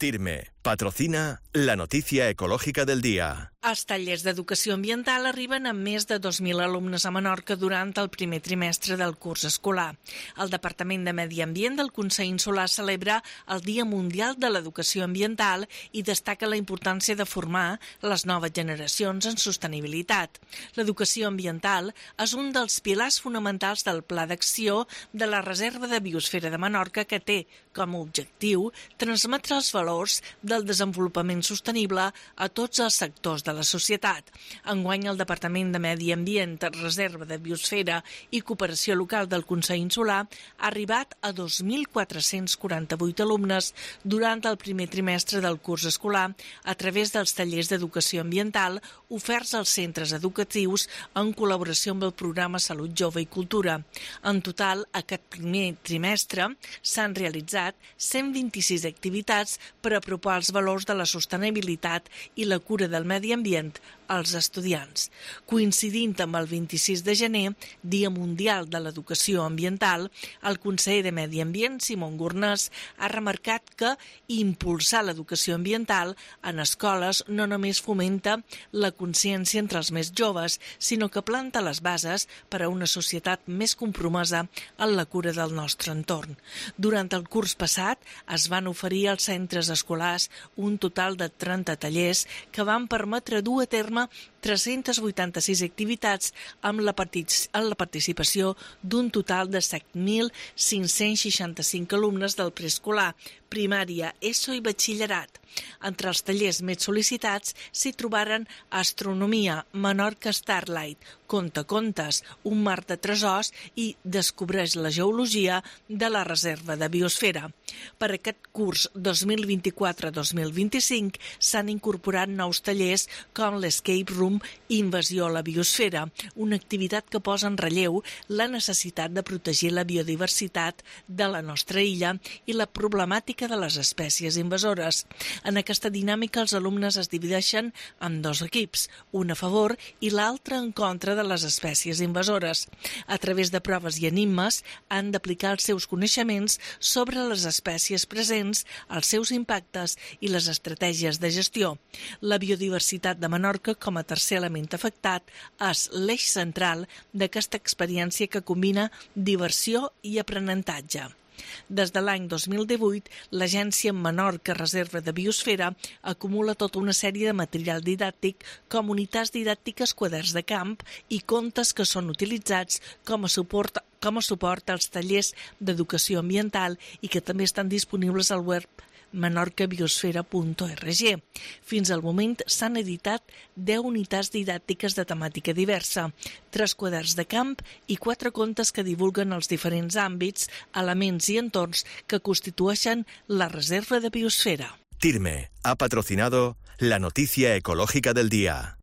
TIRME patrocina la noticia ecológica del día. Els tallers d'educació ambiental arriben a més de 2.000 alumnes a Menorca durant el primer trimestre del curs escolar. El Departament de Medi Ambient del Consell Insular celebra el Dia Mundial de l'Educació Ambiental i destaca la importància de formar les noves generacions en sostenibilitat. L'educació ambiental és un dels pilars fonamentals del Pla d'Acció de la Reserva de Biosfera de Menorca, que té com a objectiu transmetre els valors del desenvolupament sostenible a tots els sectors de la societat. Enguany, el Departament de Medi Ambient, Reserva de Biosfera i Cooperació Local del Consell Insular ha arribat a 2.448 alumnes durant el primer trimestre del curs escolar a través dels tallers d'educació ambiental oferts als centres educatius en col·laboració amb el programa Salut Jove i Cultura. En total, aquest primer trimestre s'han realitzat 126 activitats per apropar els valors de la sostenibilitat i la cura del medi ambient als estudiants. Coincidint amb el 26 de gener, Dia Mundial de l'Educació Ambiental, el conseller de Medi Ambient, Simón Gornés, ha remarcat que impulsar l'educació ambiental en escoles no només fomenta la consciència entre els més joves, sinó que planta les bases per a una societat més compromesa en la cura del nostre entorn. Durant el curs passat es van oferir als centres escolars un total de 30 tallers que van permetre dur a terme 386 activitats amb la participació d'un total de 7.565 alumnes del preescolar, primària, ESO i batxillerat. Entre els tallers més sol·licitats s'hi trobaren Astronomia, Menorca Starlight, Contacontes, Un mar de tresors i Descobreix la geologia de la Reserva de Biosfera. Per aquest curs 2024-2025 s'han incorporat nous tallers com l'Escape Room Invasió a la Biosfera, una activitat que posa en relleu la necessitat de protegir la biodiversitat de la nostra illa i la problemàtica de les espècies invasores. En aquesta dinàmica, els alumnes es divideixen en dos equips, un a favor i l'altre en contra de les espècies invasores. A través de proves i enigmes han d'aplicar els seus coneixements sobre les espècies presents, els seus impactes i les estratègies de gestió. La biodiversitat de Menorca, com a tercer element afectat, és l'eix central d'aquesta experiència que combina diversió i aprenentatge. Des de l'any 2018, l'Agència Menorca Reserva de Biosfera acumula tota una sèrie de material didàctic com unitats didàctiques, quaderns de camp i contes que són utilitzats com a suport als tallers d'educació ambiental i que també estan disponibles al web menorcabiosfera.org. Fins al moment s'han editat 10 unitats didàctiques de temàtica diversa, 3 quaderns de camp i 4 contes que divulguen els diferents àmbits, elements i entorns que constitueixen la Reserva de Biosfera. TIRME ha patrocinado la noticia ecológica del día.